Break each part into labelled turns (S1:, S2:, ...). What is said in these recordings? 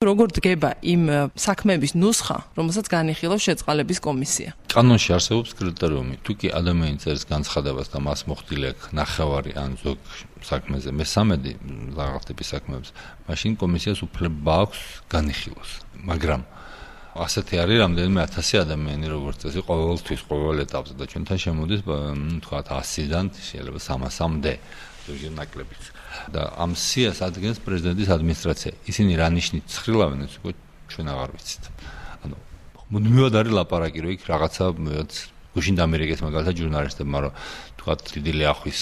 S1: როგორ დგება იმ საქმეების ნუსხა, რომელსაც განიხილავს შეწყალების კომისია?
S2: კანონში არსებობს კრიტერიუმი. თუ კი ადამიანი წერს განცხადებას და მას მოხდილი აქვს ნახევარი ან ზოგ საქმეზე მე-13 რაღაც ტიპის საქმეებს, მაშინ კომისიას უფლება აქვს განიხილოს. მაგრამ ასეთი არის რამდენიმე 1000 ადამიანი, როგორც წესი, ყოველთვის, ყოველ ეტაპზე და ჩვენთან შემოდის, თქვათ 100-დან შეიძლება 300-მდე, ზოგჯერ ნაკლებიც. და ამ სიას ადგენს პრეზიდენტის ადმინისტრაცია. ისინი რა ნიშნით ცხრილავენ, ეს უკვე ჩვენ აღარ ვიცით. ანუ მუდმივად არის ლაპარაკი, რომ იქ რაღაცა გუშინ დამერიგეს მაგალითად ჟურნალისტებმა, რომ თქვათ დიდი ლიახვის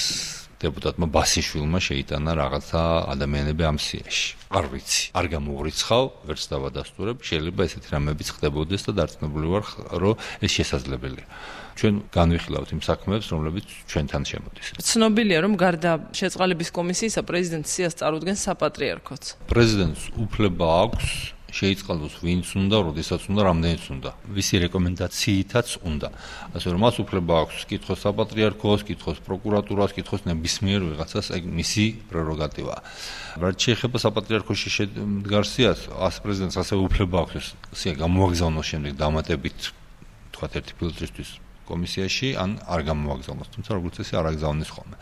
S2: დეპუტატმა ბასიშვილმა შეიტანა რაღაცა ადამიანები ამ სიაში. არ ვიცი, არ გამოვრიცხავ, ვერც დავადასტურებ, შეიძლება ესეთი რამეებიც ხდებოდეს და დარწმუნებული ვარ, რომ ეს შესაძლებელია. ჩვენ განვიხილავთ იმ საქმეებს, რომლებიც ჩვენთან შემოდის.
S1: ცნობილია, რომ გარდა შეწყალების კომისიისა პრეზიდენტის სიას წარუდგენს საპატრიარქოც.
S2: პრეზიდენტს უფლება აქვს შეიწყალოს ვინც უნდა, როდესაც უნდა, რამდენიც უნდა. ვისი რეკომენდაციითაც უნდა. ასე რომ მას უფლება აქვს კითხოს საპატრიარქოს, კითხოს პროკურატურას, კითხოს ნებისმიერ ვიღაცას, ეგ მისი პრეროგატივაა. რაც შეეხება საპატრიარქოში შედგარ სიას, პრეზიდენტს ასევე უფლება აქვს სია გამოაგზავნოს შემდეგ დამატებით თქვათ ერთი ფილტრისთვის კომისიაში ან არ გამოაგზავნოს, თუმცა როგორც წესი არ აგზავნის ხოლმე.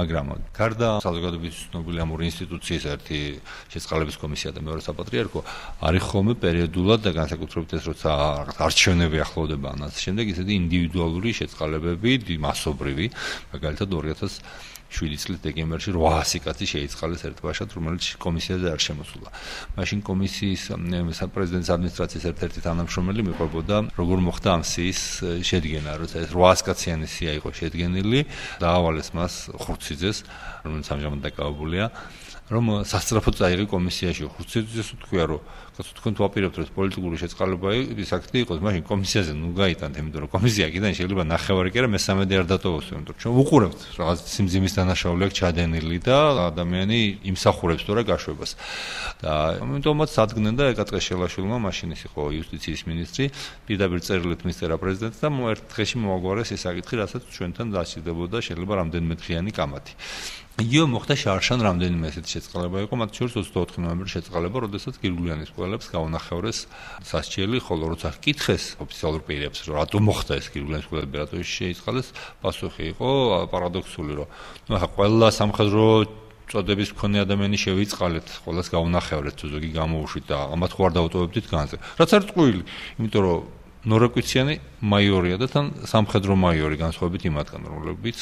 S2: მაგრამ გარდა საზოგადოების ცნობილი ამ ორი ინსტიტუციის ერთი შეწყალების კომისია და მეორე საპატრიარქო არის ხოლმე პერიოდულად და განსაკუთრებით ეს როცა არჩევნები ახლოვდება ან ასე შემდეგ ისეთი ინდივიდუალური შეწყალებები, მასობრივი, მაგალითად 2007 წლის დეკემბერში 800 კაცი შეიწყალეს ერთბაშად, რომელიც კომისიაზე არ შემოსულა. მაშინ კომისიის პრეზიდენტის ადმინისტრაციის ერთ-ერთი თანამშრომელი მიყვებოდა, როგორ მოხდა ამ სიის შედგენა, როცა ეს 800 კაციანი სია იყო შედგენილი, დაავალეს მას ხურციძეს, რომელიც ამჟამად დაკავებულია, რომ სასწრაფოდ წაიღე კომისიაში. ხურციძეს თქვია, რომ კაცო თქვენ თუ აპირებთ, რომ პოლიტიკური შეწყალება ის აქტი იყოს, მაშინ კომისიაზე ნუ გაიტანთ, იმიტომ რომ კომისია აქედან შეიძლება ნახევარი კი არა მე-13 არ დატოვოს, იმიტომ რომ ჩვენ ვუყურებთ რაღაც სიმძიმის დანაშაული აქვს ჩადენილი და ადამიანი იმსახურებს თორე გაშვებას. და ამიტომაც ადგენენ და ეკაწყეს შელაშვილმა, მაშინ ის იყო იუსტიციის მინისტრი, პირდაპირ წერილით მისწერა პრეზიდენტს და ერთ დღეში მოაგვარეს ეს საკითხი, რასაც ჩვენთან დასჭირდებოდა შეიძლება რამდენიმე დღიანი კამათი. იგივე მოხდა შარშან რამდენიმე ესეთი შეწყალება იყო, მათ შორის 24 ნოემბრის შეწყალება, როდესაც გირგვლიანის ყველებს გაუნახევრეს სასჯელი, ხოლო როცა ჰკითხეს ოფიციალურ პირებს, რომ რატომ მოხდა ეს გირგვლიანის ყველები, რატომ შეიწყალეს, პასუხი იყო პარადოქსული, რომ ნუ ახლა ყველა სამხედრო წოდების მქონე ადამიანი შევიწყალეთ, ყველას გაუნახევრეთ, თუ ზოგი გამოუშვით და ამათ ხო არ დავუტოვებდით განზე. რაც არის წყვილი, იმიტომ რომ ნორაკვიციანი მაიორია და თან სამხედრო მაიორი განსხვავებით იმათგან, რომლებიც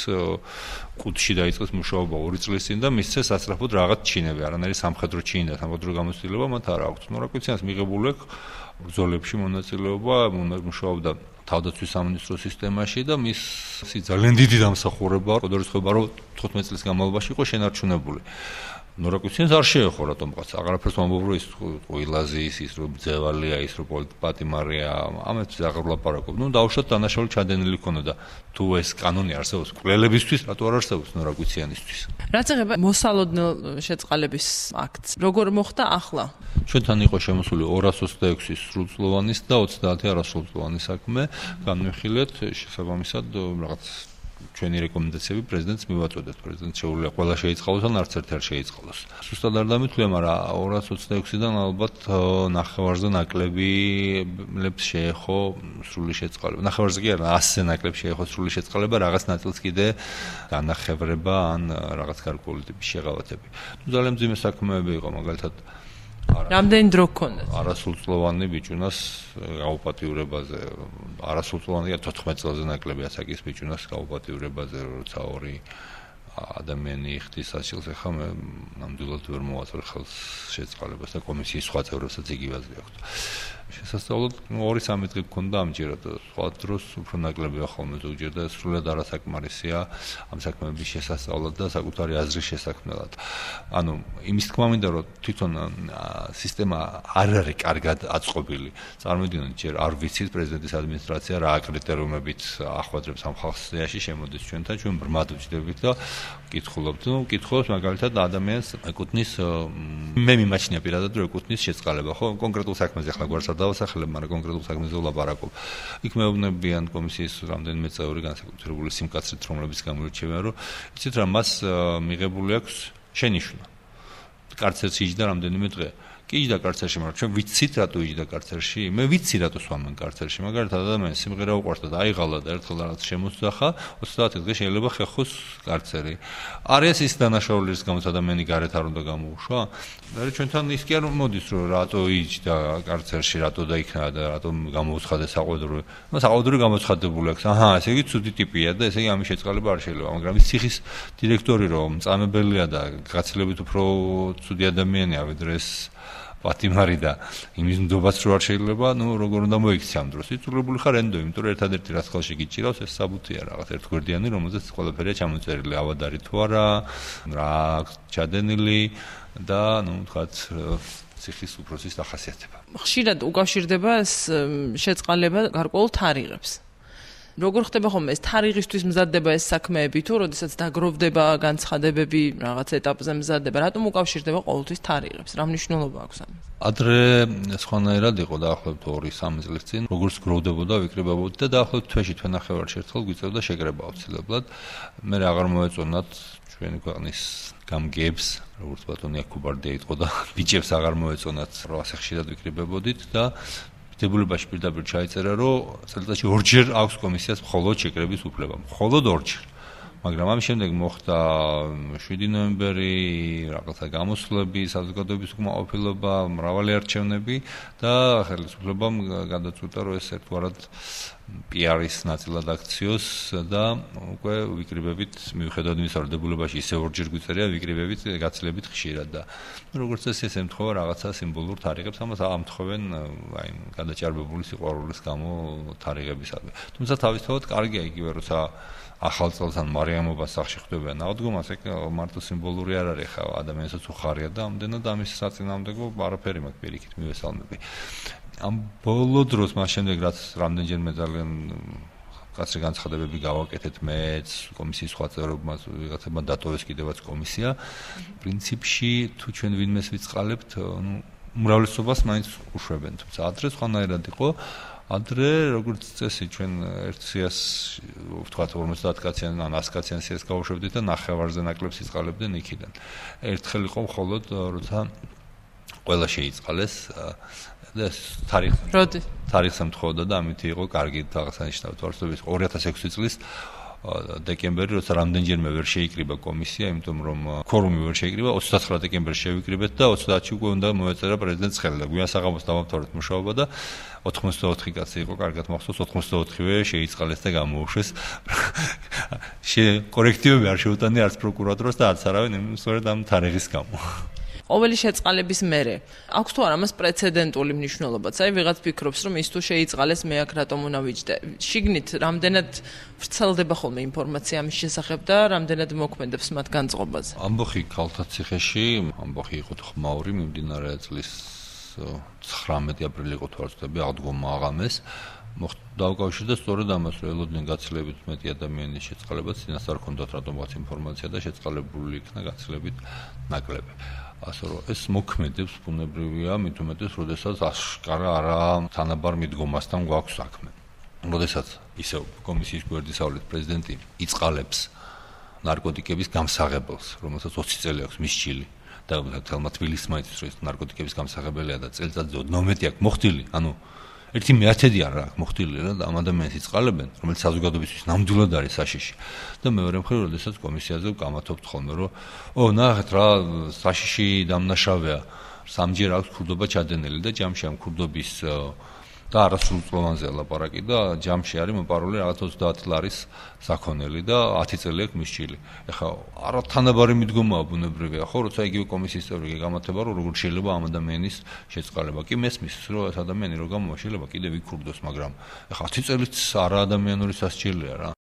S2: ყუთში დაიწყეს მუშაობა 2 წლის წინ და მისცეს სასწრაფოდ რაღაც ჩინები, არანაირი სამხედრო ჩინი და სამხედრო გამოცდილება მათ არ აქვს. ნორაკვიციანს მიღებული აქვს ბრძოლებში მონაწილეობა, მუშაობდა თავდაცვის სამინისტროს სისტემაში და მისი ძალიან დიდი დამსახურება, როდესაც რომ 15 წლის განმავლობაში იყო შენარჩუნებული. ნორაკვიციანს არ შეეხო რატომღაც, აღარაფერს ვამბობ, რომ ის ყვილაზი ის რომ ბძევალია, ის რომ პოლიტპატიმარია, ამეთვე აღარ ვლაპარაკობ. ნუ დავუშვათ დანაშაული ჩადენილი ქონოდა. თუ ეს კანონი არსებობს კვლელებისთვის, რატო არ არსებობს ნორაკვიციანისთვის?
S1: რაც ეხება მოსალოდნელ შეწყალების აქტს, როგორ მოხდა ახლა?
S2: ჩვენთან იყო შემოსული 226 სრულწლოვანის და 30 არასრულწლოვანი საქმე, განვიხილეთ შესაბამისად რაღაც ჩვენი რეკომენდაციები პრეზიდენტს მივაწოდეთ. პრეზიდენტს შეუძლია ყველა შეიწყალოს ან არც ერთი არ შეიწყალოს. სუსტად არ დამითვლია, მაგრამ 226-დან ალბათ ნახევარზე ნაკლებებს შეეხო სრული შეწყალება. ნახევარზე კი არა, 100-ზე ნაკლებს შეეხო სრული შეწყალება, რაღაც ნაწილს კიდე განახევრება ან რაღაც გარკვეული ტიპის შეღავათები. ძალიან მძიმე საქმეები იყო, მაგალითად
S1: რამდენი დრო გქონდა?
S2: არასრულწლოვანი ბიჭუნას გაუპატიურებაზე, არასრულწლოვანი 14 წელზე ნაკლები ასაკის ბიჭუნას გაუპატიურებაზე, როცა ორი ადამიანი იხდის ასილს, ახლა მე ნამდვილად ვერ მოვაწერ ხელს შეწყალებას და კომისიის სხვა წევრებსაც იგივაზე აქვთ. შესასწავლად 2-3 დღე გქონდა ამჯერად, სხვა დროს უფრო ნაკლებია ხოლმე ზოგჯერ და სრულად არასაკმარისია ამ საქმეების შესასწავლად და საკუთარი აზრის შესაქმნელად. ანუ იმის თქმა მინდა, რომ თვითონ სისტემა არ არის კარგად აწყობილი. წარმოვიდგინოთ, ჯერ არ ვიცით პრეზიდენტის ადმინისტრაცია რა კრიტერიუმებით ახვედრებს ამ ხალხს სიაში შემოდის ჩვენთან, ჩვენ ბრმად ვჯდებით და კითხულობთ. ნუ კითხულობს მაგალითად ადამიანს ეკუთვნის მე მიმაჩნია პირადად რომ ეკუთვნის შეწყალება, ხო? კონკრეტულ საქმეზე ახლა გვარს არ დავასახელებ, მაგრამ კონკრეტულ საქმეზე ვლაპარაკობ. იქ მეუბნებიან კომისიის რამდენიმე წევრი განსაკუთრებული სიმკაცრით, რომლებიც გამოირჩევიან, რომ იცით რა მას მიღებული აქვს შენიშვნა. კარცერში იჯდა რამდენიმე დღე. კი იჯდა კარცერში, მაგრამ ჩვენ ვიცით რატო იჯდა კარცერში? მე ვიცი რატო სვამენ კარცერში, მაგალითად ადამიანს სიმღერა უყვარს და აიღალა და ერთხელ რაღაც შემოსძახა, 30 დღე შეიძლება ხეხოს კარცერი. არის ის დანაშაული, რის გამოც ადამიანი გარეთ არ უნდა გამოუშვა? და ჩვენთან ის კი არ მოდის, რომ რატო იჯდა კარცერში, რატო დაიქნა და რატო გამოუცხადა საყვედური. ნუ საყვედური გამოცხადებული აქვს. აჰა, ესე იგი ცუდი ტიპია და ესე იგი ამის შეწყალება არ შეიძლება, მაგრამ ის ციხის დირექტორი რომ მწამებელია და გაცილებით უფრო ცუდი ადამიანია ვიდრე ეს პატიმარი და იმის ნდობაც რო არ შეიძლება, ნუ როგორ უნდა მოიქცე ამ დროს. იწურებული ხარ ენდო, იმიტომ რომ ერთადერთი რაც ხელში გიჭირავს ეს საბუთია რაღაც ერთგვერდიანი, რომელზეც ყველაფერია ჩამოწერილი, ავადარი თუ არა, რა ჩადენილი და ნუ თქვათ ციხის უფროსის დახასიათება.
S1: ხშირად უკავშირდება ეს შეწყალება გარკვეულ თარიღებს. როგორ ხდება ხოლმე ეს თარიღისთვის მზადდება ეს საქმეები თუ როდესაც დაგროვდება განცხადებები რაღაც ეტაპზე მზადდება, რატომ უკავშირდება ყოველთვის თარიღებს? რა მნიშვნელობა აქვს ამას?
S2: ადრე სხვანაირად იყო დაახლოებით 2-3 წლის წინ, როგორც გროვდებოდა, ვიკრიბებოდა და დაახლოებით თვეში თვენახევარში ერთხელ გვიწევდა შეკრება აუცილებლად. მე აღარ მოეწონათ ჩვენი ქვეყნის გამგეებს, როგორც ბატონი აკუბარდია იყო და ბიჭებს აღარ მოეწონათ, რომ ასე ხშირად ვიკრიბებოდით და დებულებაში პირდაპირ ჩაიწერა, რომ წელიწადში 2 ჯერ აქვს კომისიას მხოლოდ შეკრების უფლება. მხოლოდ 2 ჯერ. მაგრამ ამის შემდეგ მოხდა 7 ნოემბერი, რაღაცა გამოსვლები, საზოგადოების უკმაყოფილება, მრავალი არჩევნები და ხელისუფლებამ გადაწყვიტა, რომ ეს ერთგვარად პიარის ნაწილად აქციოს და უკვე ვიკრიბებით, მიუხედავად იმისა, რომ დებულებაში ისე 2 ჯერ გვიწერია, ვიკრიბებით გაცილებით ხშირად და როგორც წესი ეს ემთხვევა რაღაცა სიმბოლურ თარიღებს, ამას ამთხოვენ აი გადაჭარბებული სიყვარულის გამო თარიღებისადმი. თუმცა თავისთავად კარგია იგივე, როცა ახალ წელს ან მარიამობას სახში ხვდებიან აღდგომას, ეგ მარტო სიმბოლური არ არის, ხა ადამიანსაც უხარია და ამდენად ამის საწინააღმდეგო არაფერი მაქვს პირიქით მივესალმები. ამ ბოლო დროს მას შემდეგ რაც რამდენჯერმე ძალიან კაცრი განცხადებები გავაკეთეთ მეც, კომისიის სხვა წევრებმა, ვიღაცებმა დატოვეს კიდევაც კომისია. პრინციპში თუ ჩვენ ვინმეს ვიწყალებთ, ნუ უმრავლესობას მაინც უშვებენ, თუმცა ადრე სხვანაირად იყო. ადრე როგორც წესი ჩვენ ერთ სიას ვთქვათ 50 კაციან ან 100 კაციან სიას გავუშვებდით და ნახევარზე ნაკლებს იწყალებდნენ იქიდან. ერთხელ იყო მხოლოდ როცა ყველა შეიწყალეს და თარიღს ემთხოვდა და ამით იყო კარგი აღსანიშნავი თვალსაჩინო 2006 წლის დეკემბერი, როცა რამდენჯერმე ვერ შეიკრიბა კომისია, იმიტომ რომ ქორუმი ვერ შეიკრიბა, 29 დეკემბერში შევიკრიბეთ და 30-ში უკვე უნდა მოეწერა პრეზიდენტს ხელი და გვიან საღამოს დავამთავრეთ მუშაობა და 84 კაცი იყო, კარგად მახსოვს, 84-ვე შეიწყალეს და გამოუშვეს. კორექტივები არ შეუტანია არც პროკურატურას და არც არავინ, სწორედ ამ თარიღის გამო.
S1: ყოველი შეწყალების მერე აქვს თუ არა მას პრეცედენტული მნიშვნელობაც? აი ვიღაც ფიქრობს, რომ ის თუ შეიწყალეს, მე აქ რატომ უნდა ვიჯდე? შიგნით რამდენად ვრცელდება ხოლმე ინფორმაცია ამის შესახებ და რამდენად მოქმედებს მათ განწყობაზე?
S2: ამბოხი ქალთა ციხეში, ამბოხი იყო ხმაური, მიმდინარე წლის 19 აპრილი იყო თუ არ ვცდები, აღდგომა აღამეს. დავკავშირდა სწორედ ამას, რომ ელოდნენ გაცილებით მეტი ადამიანის შეწყალებაც, წინასწარ ჰქონდათ რატომღაც ინფორმაცია და შეწყალებული იქნა გაცილებით ნაკლები. ასე რომ ეს მოქმედებს ბუნებრივია, მით უმეტეს, როდესაც აშკარა არა თანაბარ მიდგომასთან გვაქვს საქმე. როდესაც ისევ კომისიის გვერდისავლით პრეზიდენტი იწყალებს ნარკოტიკების გამსაღებელს, რომელსაც 20 წელი აქვს მისჭილი და თელმა თბილისს მაინც რომ ეს ნარკოტიკების გამსაღებელია და წელიწადზე 12 აქვს მოხდილი, ანუ 1/10 არა აქვს მოხდილი რა და ამ ადამიანს იწყალებენ, რომელიც საზოგადოებისთვის ნამდვილად არის საშიში. და მეორე მხრივ, როდესაც კომისიაზე ვკამათობთ ხოლმე, რომ ნახეთ რა, საშიში დამნაშავეა, სამჯერ აქვს ქურდობა ჩადენილი და ჯამში ამ ქურდობის და არასრულწლოვანზეა ლაპარაკი და ჯამში არის მოპარული რაღაც 30 ლარის საქონელი და 10 წელი აქვს მისჭილი. ეხლა არა თანაბარი მიდგომაა ბუნებრივია, ხო, როცა იგივე კომისიის წევრი გეკამათება, რომ როგორ შეიძლება ამ ადამიანის შეწყალება. კი მესმის, რომ ეს ადამიანი რო გამოვა, შეიძლება კიდევ იქურდოს, მაგრამ ეხლა 10 წელიც არა ადამიანური სასჯელია რა.